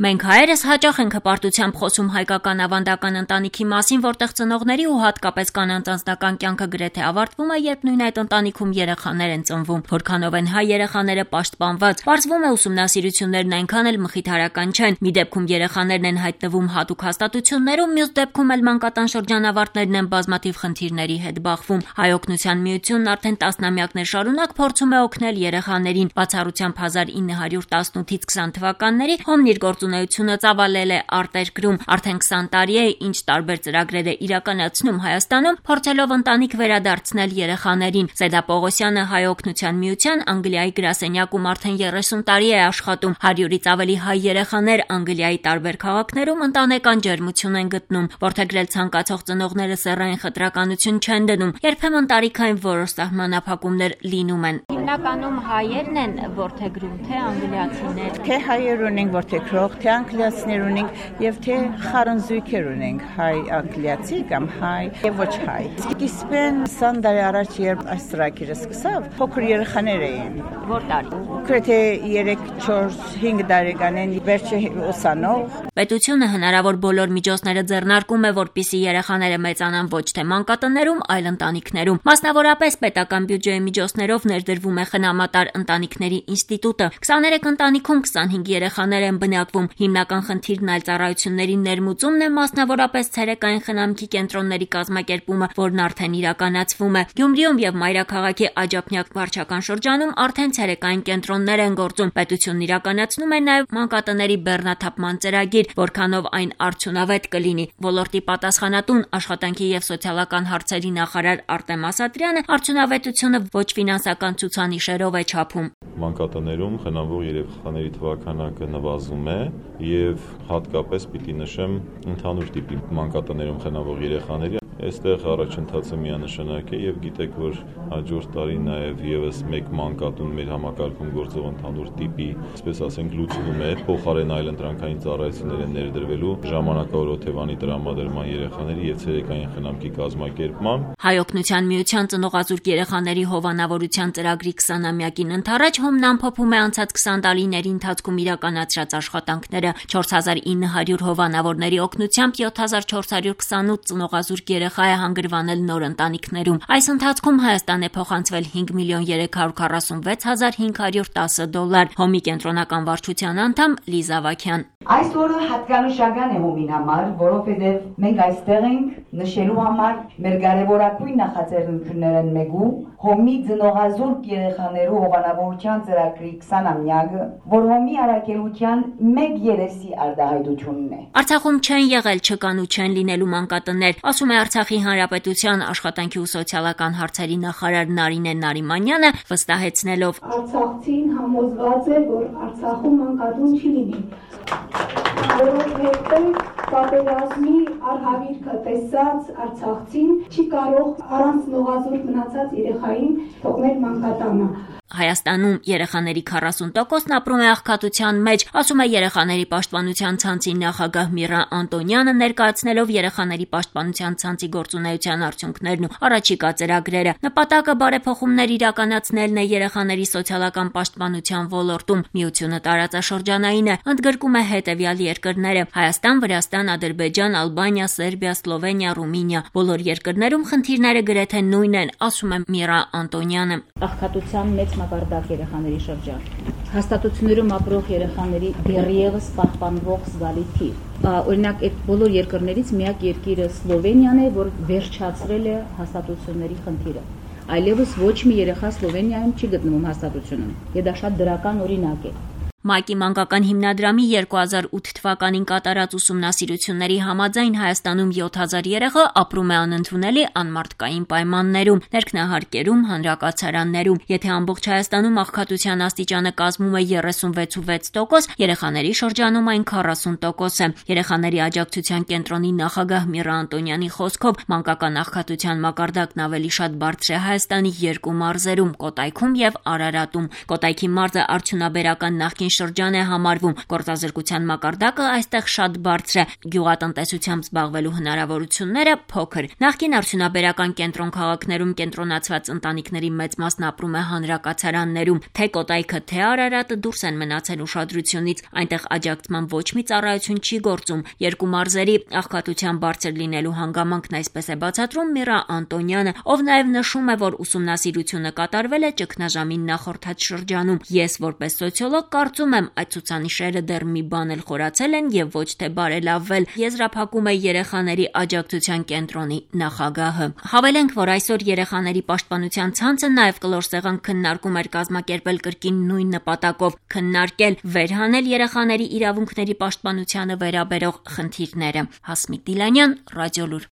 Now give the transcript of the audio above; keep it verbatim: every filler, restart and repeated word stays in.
Մենք հայերս հաճախ ենք հպարտությամբ խոսում հայկական ավանդական ընտանիքի մասին, որտեղ ծնողների ու հատկապես կանանց անձնական կյանքը գրեթե ավարտվում է, երբ նույն այդ ընտանիքում երեխաներ են ծնվում։ Որքանով են հայ երեխաները պաշտպանված։ Պարզվում է, ուսումնասիրություններն այնքան էլ մխիթարական չեն։ Մի դեպքում երեխաներն են հայտնվում հատուկ հաստատություններում, մյուս դեպքում էլ մանկատան շրջանավարտներն են բազմաթիվ խնդիրների հետ բախվում։ Հայ օգնության միությունն արդեն տասնամյակներ շարունակ փորձում է օգնել երեխաներին։ Բացառությամբ հազար ինը հարյուր տասնութից քսան թվականների Հոմն իր գործունեությունը ծավալել է արտերկրում։ Արդեն քսան տարի է, ինչ տարբեր ծրագրեր է իրականացնում Հայաստանում, փորձելով ընտանիք վերադարձնել երեխաներին։ Զեդա Պողոսյանը Հայ օգնության միության Անգլիայի գրասենյակում արդեն երեսուն տարի է աշխատում։ հարյուրից ավելի հայ երեխաներ Անգլիայի տարբեր քաղաքներում ընտանեկան ջերմություն են գտնում, որդեգրել ցանկացող ծնողները սեռային խտրականություն չեն դնում։ Երբեմն տարիքային որոշ սահմանափակումներ լինում են։ Հիմնականում հայերն են որդեգրում, թե անգլիացիներ։ Թե հայեր ունենք որդեգրող, թե անգլիացիներ ունենք եւ թե խառնզույգեր ունենք, հայ անգլիացի կամ հայ եւ ոչ հայ։ Սկիզբեն քսան տարի առաջ երբ այս ծրագիրը սկսավ, փոքր երեխաներ էին։ Որ տարի։ Գրեթե երեք, չորս, հինգ տարեկան են, վերջը ուսանող։ Պետությունը հնարավոր բոլոր միջոցները ձեռնարկում է, որպեսզի երեխաները մեծանան ոչ թե մանկատներում, այլ ընտանիքներում։ Մասնավորապես պետական բյուջեի միջոցներով ներդրվում է խնամատար ընտանիքների ինստիտուտը։ քսաներեք ընտանիքում քսանհինգ երեխաներ են բնակվում։ Հիմնական խնդիրն այլ ծառայությունների ներմուծումն է, մասնավորապես ցերեկային խնամքի կենտրոնների կազմակերպումը, որն արդեն իրականացվում է։ Գյումրիում եւ Մայրաքաղաքի Աջափնյակ վարչական շրջանում արդեն ցերեկային կենտրոններ են գործում։ Պետությունն իրականացնում է նաեւ մանկատների բեռնաթափման ծրագիր, որքանով այն արդյունավետ կլինի։ Ոլորտի պատասխանատուն աշխատանքի եւ սոցիալական հարցերի նախարար Արտեմ Ասատրյանը արդյունավետությունը ոչ ֆինանսական ցուցանիշերով է չափում։ Մանկատներում խնամվող երեխաների թվականակը նվազում է եւ հատկապես պիտի նշեմ ընդհանուր տիպի մանկատներում խնամվող երեխաների Այստեղ առաջընթացը միանշանակ է եւ գիտեք, որ հաջորդ տարի նաեւ եւս մեկ մանկատուն մեր համակարգում գործող ընդհանուր տիպի, այսպես ասենք, լուծվում է, փոխարեն այլ ընտրանքային ծառայություններ են ներդրվելու ժամանակավոր օթևանի տրամադրման երեխաների եւ ցերեկային խնամքի կազմակերպման։ Հայ օգնության միության ծնողազուրկ երեխաների հովանավորության ծրագրի քսանամյակին ընթരാճ Հոմն ամփոփում է անցած քսան տարիների ընթացքում իրականացրած աշխատանքները։ չորս հազար ինը հարյուր հովանավորների օգնությամբ յոթ հազար չորս հարյուր քսանութ ծնողազուրկ երեխա է հանգրվանել նոր ընտանիքներում։ Այս ընթացքում Հայաստան է փոխանցվել հինգ միլիոն երեք հարյուր քառասունվեց հազար հինգ հարյուր տասը դոլար։ Հոմի կենտրոնական վարչության անդամ Լիզա Վաքյան։ Այս օրը հատկանշական է Հոմին համար, որովհետև մենք այստեղ ենք նշելու համար մեր կարևորագույն նախաձեռնություններն մեկու Հոմի ծնողազուրկ երեխաներու հովանավորության ծրագրի քսանամյակը, որ Հոմի առաքելության մեկ երեսի արտահայտությունն է։ Արցախում չեն եղել, չկան ու չեն լինելու մանկատներ, ասում է Արցախի Հանրապետության աշխատանքի ու սոցիալական հարցերի նախարար Նարինե Նարիմանյանը, վստահեցնելով. Արցախցին համոզված է, որ Արցախում մանկատուն չի լինի։ Որովհետև պատերազմի արհավիրքը տեսած Արցախցին չի կարող առանց ծնողազուրկ մնացած երեխային թողնել մանկատանը։ Հայաստանում երեխաների քառասուն տոկոսն ապրում է աղքատության մեջ, ասում է երեխաների պաշտպանության ցանցի նախագահ Միրա Անտոնյանը, ներկայացնելով երեխաների պաշտպանության ցանցի գործունեության արդյունքներն ու առաջիկա ծրագրերը։ Նպատակը բարեփոխումներ իրականացնելն է երեխաների սոցիալական պաշտպանության ոլորտում։ Միությունը տարածաշրջանային է, ընդգրկում է հետևյալ երկրները՝ Հայաստան, Վրաստան, Ադրբեջան, Ալբանիա, Սերբիա, Սլովենիա, Ռումինիա։ Բոլոր երկրներում խնդիրները գրեթե նույնն են, ասում է Միրա Անտոնյանը։ Աղքատության մեծ մակարդակ երեխաների շրջան։ Հաստատություններում ապրող երեխաների դեռևս պահպանվող զգալի թիվ։ Օրինակ, այդ բոլոր երկրներից միակ երկիրը Սլովենիան է, որ վերջացրել է հաստատությունների խնդիրը։ Այլևս ոչ մի երեխա Սլովենիայում չի գտնվում հաստատությունում։ Եվ դա շատ դրական օրինակ է։ ՄԱԿ-ի մանկական հիմնադրամի երկու հազար ութ թվականին կատարած ուսումնասիրությունների համաձայն Հայաստանում յոթ հազար երեխա ապրում է անընդունելի անմարդկային պայմաններում, ներքնահարկերում, հանրակացարաններում։ Եթե ամբողջ Հայաստանում աղքատության աստիճանը կազմում է երեսունվեց ու վեց տոկոս, երեխաների շրջանում այն քառասուն տոկոս է։ Երեխաների աջակցության կենտրոնի նախագահ Միրա Անտոնյանի խոսքով մանկական աղքատության մակարդակն ավելի շատ բարձր է Հայաստանի երկու մարզերում՝ Կոտայքում եւ Արարատում։ Կոտայքի մարզը արդյունաբերական նախկին շրջան է համարվում։ Գործազրկության մակարդակը այստեղ շատ բարձր է, գյուղատնտեսությամբ զբաղվելու հնարավորությունները փոքր։ Նախկին արդյունաբերական կենտրոն քաղաքներում կենտրոնացված ընտանիքների մեծ մասն ապրում է հանրակացարաններում, թե Կոտայքը, թե Արարատը դուրս են մնացել ուշադրությունից, այնտեղ աջակցման ոչ մի ծառայություն չի գործում։ Երկու մարզերի աղքատության բարձր լինելու հանգամանքն այսպես է բացատրում Միրա Անտոնյանը, ով նաև նշում է, որ ուսումնասիրությունը կատարվել է ճգնաժամին նախորդած շրջանում։ Ես որպես սոցիոլոգ կարծում եմ, այդ ցուցանիշերը դեռ մի բան էլ խորացել են եւ ոչ թե բարելավվել, եզրափակում է երեխաների աջակցության կենտրոնի նախագահը։ Հավելենք, որ այսօր երեխաների պաշտպանության ցանցը նաև կլոր սեղան քննարկում էր կազմակերպել կրկին նույն նպատակով՝ քննարկել, վերհանել երեխաների իրավունքների պաշտպանությանը վերաբերող խնդիրները։ Հասմիկ Դիլանյան, Ռադիոլուր։